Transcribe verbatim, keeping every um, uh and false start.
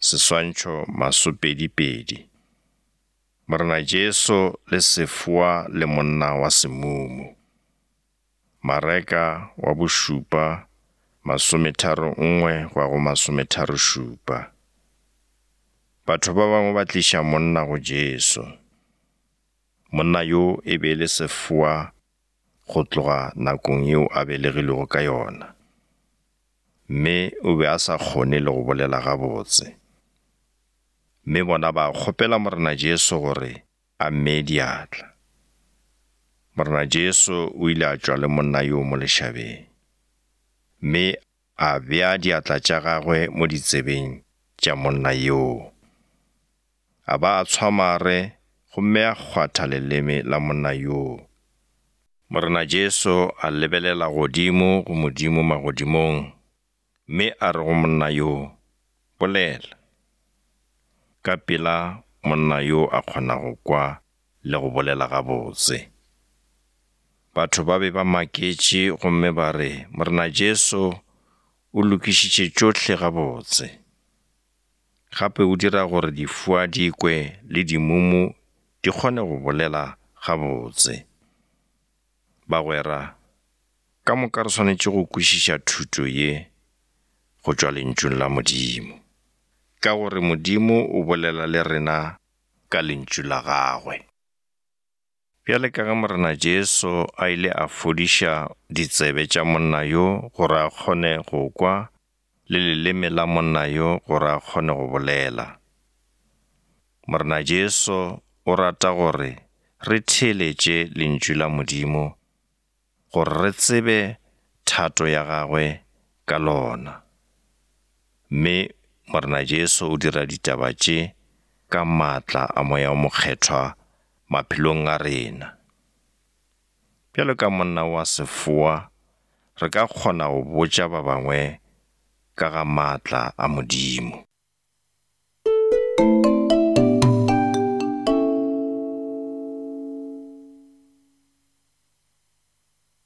Seswantšho masopedi-pedi. Morena Jesu le sefoa le monna wa semumu. Mareka wa bošupa masometharo nngwe go ya go masometharo šupa. Batho ba bangwe ba tliša monna go Jesu. Monna yo e be e le sefoa go tloga nakong yeo a belegilego ka yona, mme o be a sa kgone le go bolela gabotse. Mme bona ba kgopela Morena Jesu gore a mmee diatla. Morena Jesu o ile a tšwa le monna yo mo lešabeng, mme a bea diatla tša gagwe mo ditsebeng tša monna yoo. A ba a tshwa mare gomme a kgwatha leleme la monna yoo. Morena Jesu a lebelela godimo go Modimo magodimong, mme a re go monna yoo, bolela. Ka pela monna yo a kgona go kwa le go bolela gabotse. Batho ba be ba maketše gomme ba re Morena Jesu o lokišitše tšohle gabotse. Gape o dira gore difoa di kwe le dimumu di kgone go bolela gabotse. Bagwera, ka moka re swanetše go kwešiša thuto ye go tšwa lentšung la Modimo, ka gore Modimo o bolela le rena ka lentšu la gagwe. Bjale ka ge Morena Jesu a ile a fodiša ditsebe tša monna yo gore a kgone go kwa le leleme la monna yo gore a kgone go bolela, Morena Jesu o rata gore re theeletše lentšu la Modimo gore re tsebe thato ya gagwe ka lona. Mme Morena Jesu o dira ditaba tše ka maatla a Moya o Mokgethwa maphelong a rena. Bjalo ka monna wa sefoa, re ka kgona go botša ba bangwe ka ga maatla a Modimo.